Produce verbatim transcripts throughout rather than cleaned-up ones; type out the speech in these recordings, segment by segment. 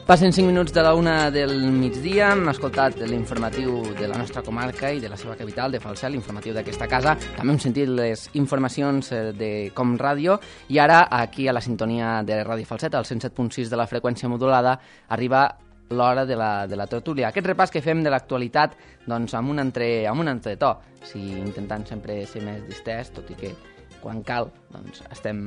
Passen cinc minuts de la una del migdia, hem escoltat l'informatiu de la nostra comarca i de la seva capital, de Falset, l'informatiu d'aquesta casa. També hem sentit les informacions de Com Ràdio i ara, aquí a la sintonia de Ràdio Falset, al cent set punt sis de la freqüència modulada, arriba l'hora de la, de la tertúlia. Aquest repàs que fem de l'actualitat doncs, amb, un entre, amb un entretó, si intentant sempre ser més distès, tot i que quan cal, doncs estem,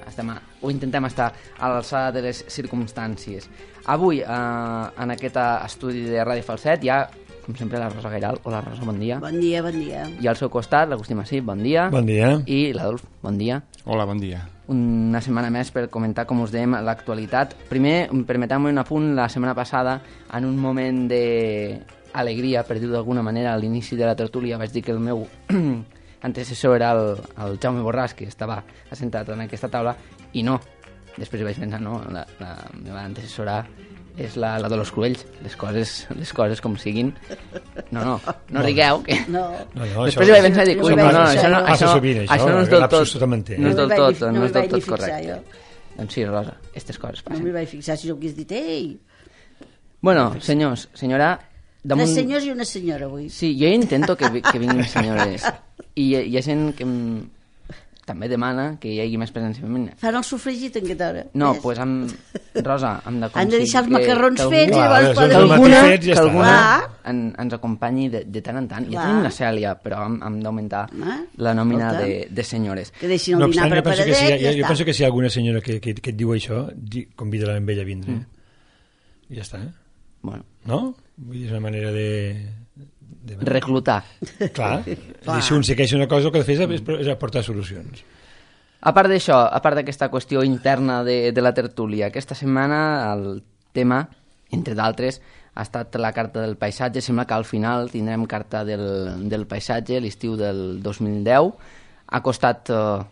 estem a, o intentem estar a l'alçada de les circumstàncies. Avui, eh, en aquest estudi de Ràdio Falset, hi ha, com sempre, la Rosa Gairal. Hola, Rosa, bon dia. Bon dia, bon dia. I al seu costat, l'Agustí Massip, bon dia. Bon dia. I l'Adolf, bon dia. Hola, bon dia. Una setmana més per comentar, com us dèiem, l'actualitat. Primer, permeteu-me un apunt, la setmana passada, en un moment d'alegria, per dir-ho d'alguna manera, a l'inici de la tertúlia, vaig dir que el meu antecessor era el, el Jaume Borràs, que estava assentat en aquesta taula, i no. Després vaig pensar, no, la, la meva antecessora és la, la de los Cruells, les coses, les coses com siguin. No, no, no, no rigueu. Que... No. No, no, després vaig pensar, dic, ui, no, no, això no, això, sovint, això, això no és del tot, no no és del tot, no és del tot correcte. Jo. Doncs sí, Rosa, aquestes coses passen. No m'hi vaig fixar si jo hagués dit, ei... Bueno, senyors, senyora... Damunt... Tres senyors i una senyora, avui. Sí, jo intento que, que vinguin senyores. I hi ha gent que em... també demana que hi hagi més presència femenina. Fan el sofregit en aquesta hora. No, doncs pues amb... Rosa, hem d'aconseguir... Han de deixar els macarrons que, fets que, i llavors que, poden... que alguna, ja que alguna en, Ah. ens acompanyi de, de tant en tant. Ja Clar. tenim la Cèlia, però hem, hem d'augmentar Ah, la nòmina escolta. de, de senyores. Que deixin el No dinar obstant, jo penso que preparadet si, i jo, ja jo està. penso que si hi ha alguna senyora que, que, que et diu això, di, convida-la amb ella a vindre. Mm. I ja està. Bueno, No? Vull dir, és una manera de... de... reclutar. Clar. I si un segueix una cosa, el que ha de fer és, és aportar solucions. A part d'això, a part d'aquesta qüestió interna de, de la tertúlia, aquesta setmana el tema, entre d'altres, ha estat la carta del paisatge. Sembla que al final tindrem carta del, del paisatge l'estiu del dos mil deu. Ha costat uh,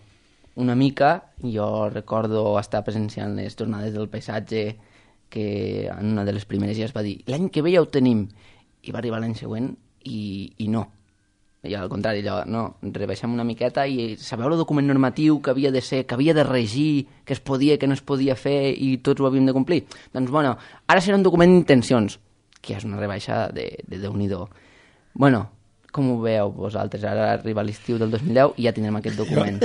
una mica. Jo recordo estar presenciant les jornades del paisatge, que en una de les primeres ja es va dir l'any que ve ja ho tenim, i va arribar l'any següent i, i no. I al contrari, allò, no, rebaixem una miqueta i sabeu el document normatiu que havia de ser, que havia de regir, que es podia, que no es podia fer i tots ho havíem de complir? Doncs, bueno, ara serà un document d'intencions, que és una rebaixa de, de Déu-n'hi-do. Bueno, com ho veieu vosaltres? Ara arriba l'estiu del dos mil deu i ja tindrem aquest document.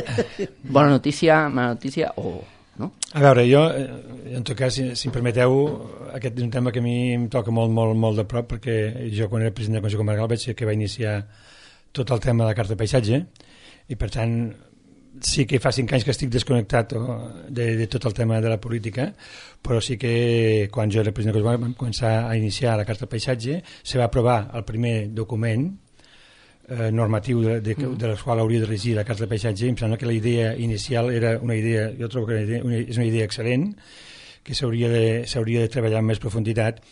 Bona notícia, mala notícia o... no? A veure, jo, en tot cas, si, si em permeteu, aquest és un tema que a mi em toca molt, molt, molt de prop, perquè jo, quan era president del Consell Comarcal, vaig ser que va iniciar tot el tema de la carta de paisatge, i per tant sí que fa cinc anys que estic desconnectat de, de tot el tema de la política, però sí que quan jo era president del Consell Comarcal vam començar a iniciar la carta de paisatge, se va aprovar el primer document eh, normatiu de, de, de, de la qual hauria de regir la carta de paisatge, i em sembla que la idea inicial era una idea, jo trobo que una idea, una, és una idea excel·lent, que s'hauria de, s'hauria de treballar amb més profunditat,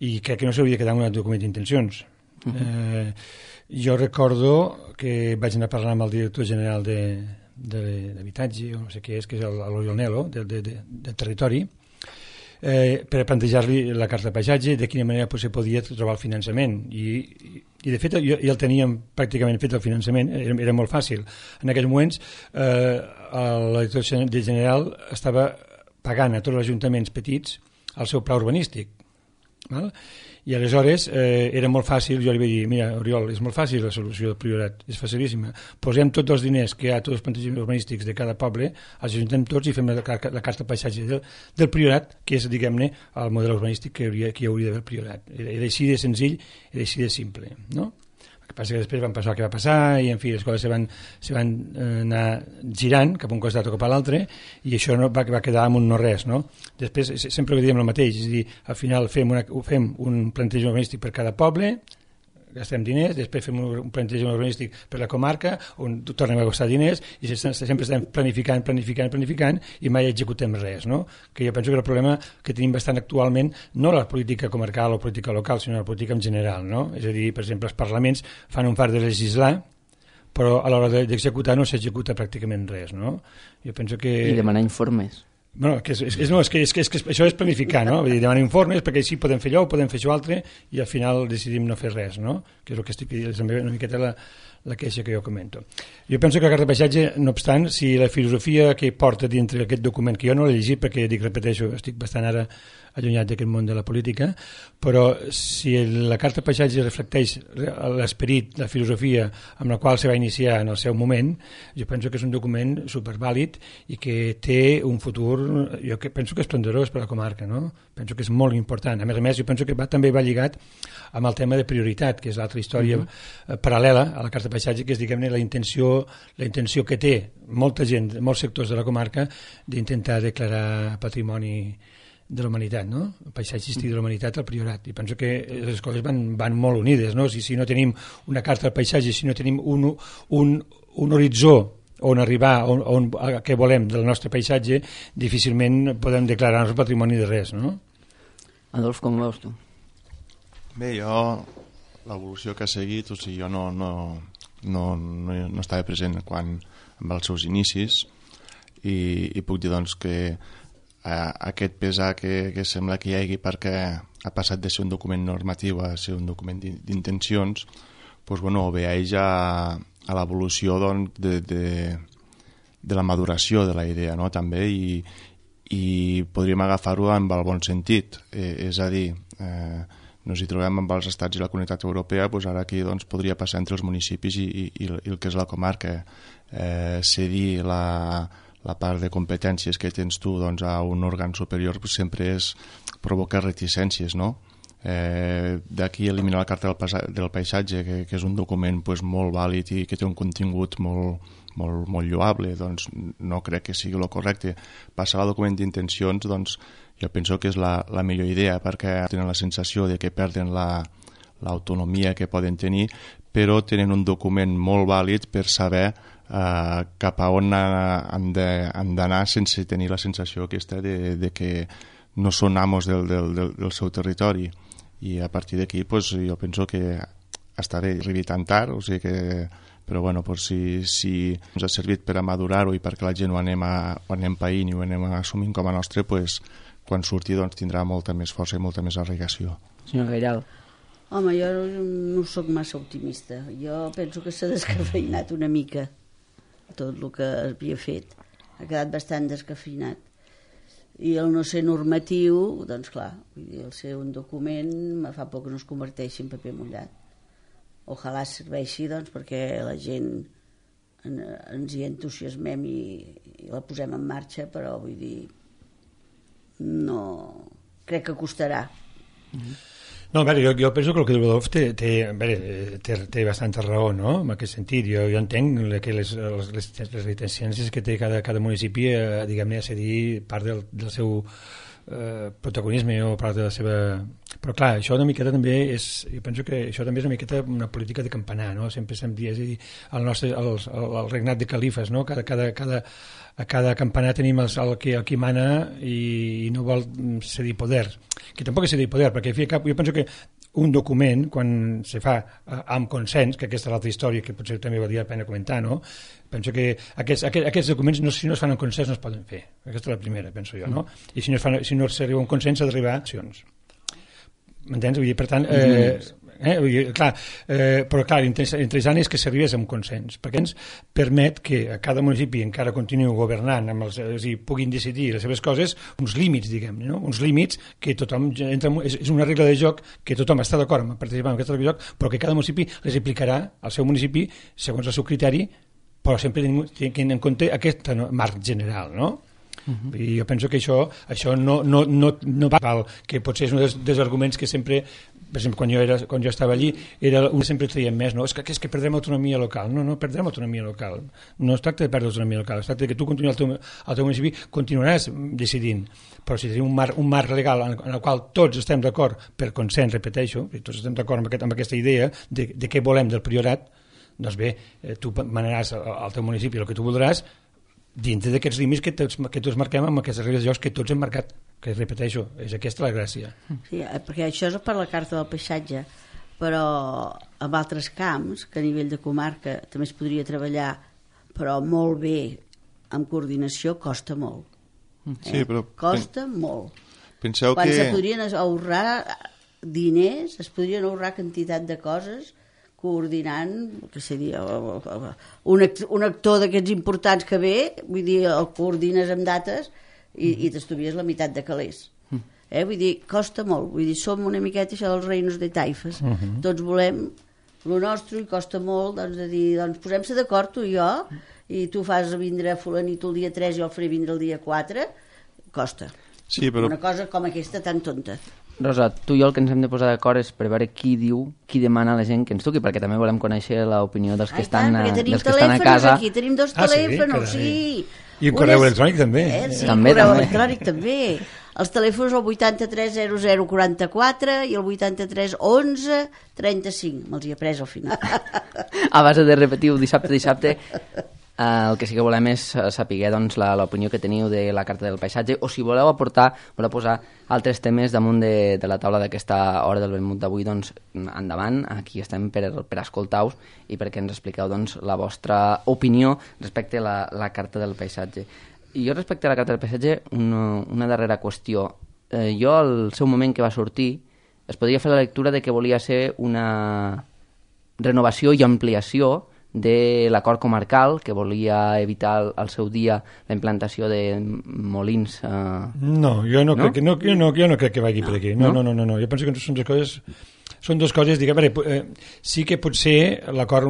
i crec que no s'hauria de quedar en un document d'intencions. Uh-huh. eh, jo recordo que vaig anar a parlar amb el director general de, de, d'habitatge, o no sé què és, que és l'Oriol Nelo, de, de, de, del territori, eh, per plantejar-li la carta de paisatge, de quina manera pues, se podia trobar el finançament. I, i, i de fet jo, ja el teníem pràcticament fet el finançament, era, era molt fàcil. En aquells moments eh, la director general estava pagant a tots els ajuntaments petits el seu pla urbanístic. Val? I aleshores eh, era molt fàcil, jo li vaig dir, mira, Oriol, és molt fàcil la solució del Priorat, és facilíssima. Posem tots els diners que hi ha a tots els plantejaments urbanístics de cada poble, els ajuntem tots i fem la, la, la carta de paisatge del, del Priorat, que és, diguem-ne, el model urbanístic que, hauria, que hi hauria d'haver el Priorat. Era, era així de senzill, era així de simple, no? El que passa que després van passar el que va passar i, en fi, les coses se van, se van eh, anar girant cap a un costat o cap a l'altre, i això no, va, va quedar amb un no res, no? Després sempre ho diem el mateix, és a dir, al final fem, una, fem un plantejament urbanístic per cada poble, gastem diners, després fem un plantejament urbanístic per la comarca, on tornem a gastar diners, i sempre estem planificant, planificant, planificant, i mai executem res, no? Que jo penso que el problema que tenim bastant actualment, no la política comarcal o política local, sinó la política en general, no? És a dir, per exemple, els parlaments fan un fart de legislar, però a l'hora d'executar no s'executa pràcticament res, no? Jo penso que... I demanar informes. Bueno, que és, és, no, és, que, és, que, és que això és planificar, no? Vull dir, demanar informes perquè així podem fer allò, podem fer això altre i al final decidim no fer res, no? Que és el que estic dient, també una miqueta la, la queixa que jo comento. Jo penso que la carta de paisatge, no obstant, si la filosofia que porta dintre aquest document, que jo no l'he llegit perquè, dic, repeteixo, estic bastant ara allunyat d'aquest món de la política, però si la carta de paisatge reflecteix l'esperit, la filosofia amb la qual se va iniciar en el seu moment, jo penso que és un document supervàlid i que té un futur, jo que penso que és esplendorós per a la comarca, no? Penso que és molt important. A més a més, jo penso que va, també va lligat amb el tema de prioritat, que és l'altra història uh-huh. paral·lela a la carta de paisatge, que és, diguem-ne, la intenció, la intenció que té molta gent, molts sectors de la comarca, d'intentar declarar patrimoni de la humanitat, no? El paisatgístic de la humanitat al Priorat. I penso que les coses van, van molt unides, no? Si, si no tenim una carta del paisatge, si no tenim un, un, un horitzó on arribar, on, on, a què volem del nostre paisatge, difícilment podem declarar-nos patrimoni de res, no? Adolf, com veus tu? Bé, jo, l'evolució que ha seguit, o sigui, jo no, no, no, no, no estava present quan, amb els seus inicis i, i puc dir doncs que Uh, aquest pesar que, que sembla que hi hagi perquè ha passat de ser un document normatiu a ser un document d'intencions, doncs, bueno, obeeix a, a l'evolució doncs, de, de, de la maduració de la idea, no? També, i, i podríem agafar-ho amb el bon sentit, eh, és a dir, eh, nos hi trobem amb els estats i la comunitat europea, doncs ara aquí doncs, podria passar entre els municipis i, i, i el que és la comarca, eh, cedir la la part de competències que tens tu doncs, a un òrgan superior pues, sempre és provocar reticències, no? Eh, d'aquí eliminar la carta del, del paisatge, que, que és un document pues, molt vàlid i que té un contingut molt, molt, molt lloable, doncs no crec que sigui el correcte. Passar al document d'intencions, doncs jo penso que és la, la millor idea, perquè tenen la sensació de que perden la, l'autonomia que poden tenir, però tenen un document molt vàlid per saber Uh, cap a on han d'anar sense tenir la sensació aquesta de, de que no són amos del, del, del, del seu territori, i a partir d'aquí pues, jo penso que està bé arribar tan tard, o sigui que, però bueno, pues, si, si ens ha servit per a madurar-ho i perquè la gent ho anem, a, ho anem païnt i ho anem assumint com a nostre, pues, quan surti doncs, tindrà molta més força i molta més arraigació. Senyor Gairal. Home, jo no, no soc massa optimista, jo penso que s'ha descafeinat una mica tot el que havia fet, ha quedat bastant descafeinat, i el no ser normatiu, doncs clar, vull dir, el ser un document me fa por que no es converteixi en paper mullat. Ojalà serveixi doncs, perquè la gent en, ens hi entusiasmem i, i la posem en marxa, però vull dir, no crec que costarà. Mm-hmm. No, a veure, jo, jo penso que el que diu Adolf té, té, veure, té, té bastanta raó, no?, en aquest sentit. Jo, jo entenc que les, les, les, les reticències que té cada, cada municipi, eh, diguem-ne, a cedir part del, del seu eh, protagonisme o part de la seva... Però clar, això una miqueta també és... Jo penso que això també és una miqueta una política de campanar, no? Sempre se'm dia, és a dir, el nostre, el, el, el regnat de califes, no? Cada, cada, cada, a cada campanar tenim el, el, que, el qui mana i, i no vol cedir poder, que tampoc és cedir poder, perquè fi, cap, jo penso que un document, quan se fa eh, amb consens, que aquesta és l'altra història que potser també valdria la pena comentar, no? Penso que aquests, aquests, aquests documents, no, si no es fan amb consens, no es poden fer. Aquesta és la primera, penso jo, no? I si no, es fan, si no s'arriba a un consens, s'ha d'arribar a accions. M'entens? Vull dir, per tant, eh, eh, vull dir, clar, eh, però clar, interessant és que s'arribés amb consens, perquè ens permet que a cada municipi encara continuï governant, amb els, és a dir, puguin decidir les seves coses, uns límits, diguem-ne, no? Uns límits que tothom entra, és, és una regla de joc que tothom està d'acord amb participar en aquesta regla de joc, però que cada municipi les aplicarà al seu municipi segons el seu criteri, però sempre tenint en compte aquest marc general, no? Uh-huh. I jo penso que això, això no, no, no, no val, que potser és un dels, dels arguments que sempre, per exemple, quan jo, era, quan jo estava allí, era un sempre traiem més, no? És que, és que perdrem autonomia local. No, no perdrem autonomia local. No es tracta de perdre autonomia local, es tracta de que tu continuïs al teu, al teu municipi, continuaràs decidint. Però si tenim un marc, un marc legal en, en el qual tots estem d'acord per consens, repeteixo, i tots estem d'acord amb, aquest, amb aquesta idea de, de què volem del priorat, doncs bé, eh, tu manaràs al teu municipi el que tu voldràs, dintre d'aquests límits que tots, que tots marquem amb aquestes regles de jocs que tots hem marcat, que repeteixo, és aquesta la gràcia. Sí, perquè això és per la carta del paisatge, però en altres camps, que a nivell de comarca també es podria treballar, però molt bé, amb coordinació, costa molt. Sí, però... Costa molt. Penseu Quan que... se podrien ahorrar diners, es podrien ahorrar quantitat de coses coordinant, que seria un, act un actor d'aquests importants que ve, vull dir, el coordines amb dates i, i t'estuvies la meitat de calés. Eh? Vull dir, costa molt. Vull dir, som una miqueta això dels reinos de taifes. Uh -huh. Tots volem lo nostre i costa molt, doncs, de dir, doncs, posem-se d'acord tu i jo, i tu fas vindre fulanito el dia tres i jo el faré vindre el dia quatre, costa. Sí, però... Una cosa com aquesta tan tonta. Rosa, tu i jo el que ens hem de posar d'acord és per veure qui diu, qui demana a la gent que ens truqui, perquè també volem conèixer l'opinió dels, que, estan, Ai, a, dels que estan a casa. Aquí tenim dos ah, telèfons, sí, sí. I un correu electrònic també. Eh, sí, també, correu també. electrònic també. Els telèfons el vuitanta-tres zero zero quaranta-quatre i el vuitanta-tres onze trenta-cinc. Me'ls hi he pres al final. A base de repetir dissabte a dissabte, eh, el que sí que volem és saber doncs, l'opinió que teniu de la Carta del Paisatge, o si voleu aportar, voleu posar altres temes damunt de, de la taula d'aquesta hora del vermut d'avui, doncs endavant, aquí estem per, per escoltar-vos i perquè ens expliqueu doncs, la vostra opinió respecte a la, la Carta del Paisatge. I jo respecte a la Carta del Paisatge, una, una darrera qüestió. Eh, jo, al seu moment que va sortir, es podria fer la lectura de que volia ser una renovació i ampliació de l'acord comarcal, que volia evitar al, al seu dia la implantació de molins. Eh... No, jo no, no? Crec que, no, jo no, jo no crec que vagi no. per aquí. No, no, no, no, no. Jo penso que són dues coses... Són dues coses, diguem, eh, sí que potser l'acord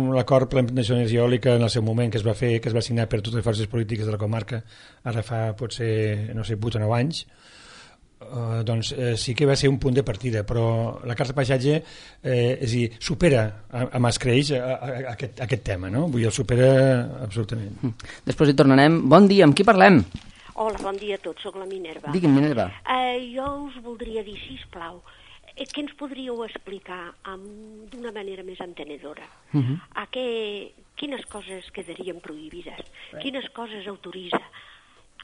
per la implantació d'energia eòlica en el seu moment que es va fer, que es va signar per totes les forces polítiques de la comarca, ara fa potser, no sé, vuit o nou anys, eh, doncs eh, sí que va ser un punt de partida, però la Carta de Paisatge eh, és a dir, supera amb escreix a, a, a aquest, a aquest tema, no? Vull dir, el supera absolutament. Després hi tornarem. Bon dia, amb qui parlem? Hola, bon dia a tots, soc la Minerva. Digue'm, Minerva. Uh, jo us voldria dir, sisplau, què ens podríeu explicar d'una manera més entenedora? Uh -huh. A què, quines coses quedarien prohibides? Quines coses autoritza?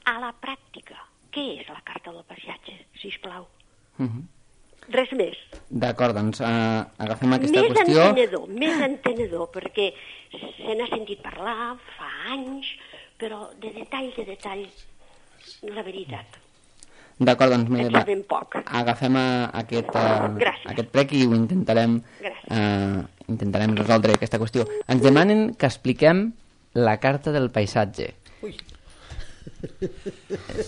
A la pràctica, què és la Carta del Paisatge, sisplau? Uh -huh. Res més. D'acord, doncs uh, agafem aquesta més qüestió. Més entenedor, més entenedor, perquè se n'ha sentit parlar fa anys, però de detall, de detall, la veritat. D'acord, doncs Minerva, ben poc. agafem a, a aquest, a, a aquest prec i ho intentarem, uh, intentarem resoldre aquesta qüestió. Ens demanen que expliquem la Carta del Paisatge. Ui.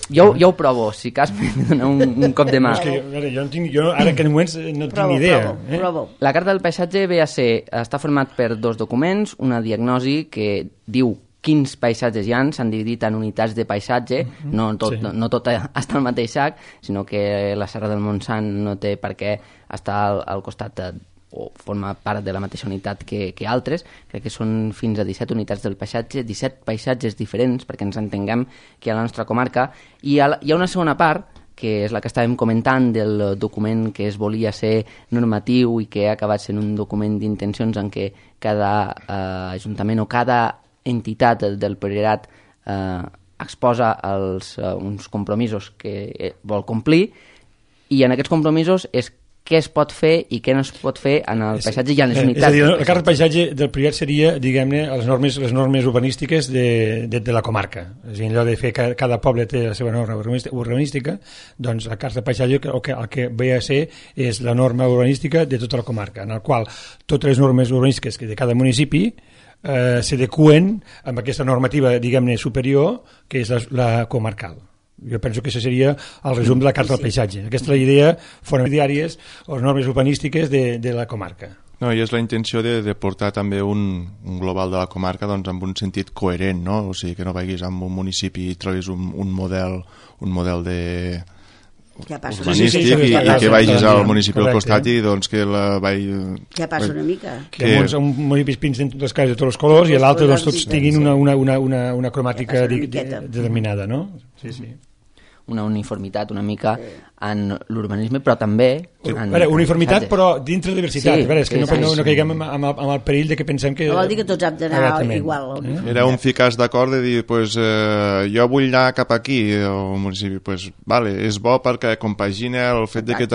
Jo, jo ho provo, si cas m'he de donar un, un cop de mà. No, és que jo, ara, jo no tinc, jo ara que en moments no tinc provo, ni idea. Provo, eh? provo. La Carta del Paisatge ve a ser, està format per dos documents, una diagnosi que diu quins paisatges hi ha, s'han dividit en unitats de paisatge, mm-hmm. no, tot, sí. no, no tot està al mateix sac, sinó que la Serra del Montsant no té per què estar al, al costat de, o forma part de la mateixa unitat que, que altres. Crec que són fins a disset unitats del paisatge, disset paisatges diferents, perquè ens entenguem que hi ha la nostra comarca, i hi ha, hi ha una segona part, que és la que estàvem comentant del document que es volia ser normatiu i que ha acabat sent un document d'intencions en què cada eh, ajuntament o cada entitat del Priorat eh, exposa els, eh, uns compromisos que vol complir, i en aquests compromisos és què es pot fer i què no es pot fer en el paisatge i en les unitats. És a dir, la Carta de Paisatge del Priorat seria, diguem-ne, les normes, les normes urbanístiques de, de, de la comarca. És a dir, allò de fer que cada poble té la seva norma urbanística, doncs la Carta de Paisatge el que, el que ve a ser és la norma urbanística de tota la comarca, en la qual totes les normes urbanístiques de cada municipi Eh, s'adeqüen amb aquesta normativa, diguem-ne, superior, que és la, la comarcal. Jo penso que això seria el resum de la Carta del Paisatge. Aquesta és la idea fonamentàries o les normes urbanístiques de, de la comarca. No, i és la intenció de, de portar també un, un global de la comarca doncs, amb un sentit coherent, no? O sigui, que no vagis amb un municipi i trobis un, un model un model de urbanístic sí, sí, sí, i, i que vagis al municipi al costat i doncs que la vagi... Què passa una mica? Que, que uns, un municipi pinten totes les cases de tots els colors i l'altre doncs tots tinguin una, una, una, una, una cromàtica de, de, determinada, no? Sí, sí. Una uniformitat una mica en l'urbanisme, però també... Sí. En veure, uniformitat, però dintre de diversitat. Sí, veure, és que sí, no, sí, no, no sí. caiguem amb, amb, amb el perill de que pensem que... No vol dir que tots hem d'anar igual. Eh? Era un ficar d'acord de dir, pues, eh, jo vull anar cap aquí, al municipi, pues, vale, és bo perquè compagina el fet de que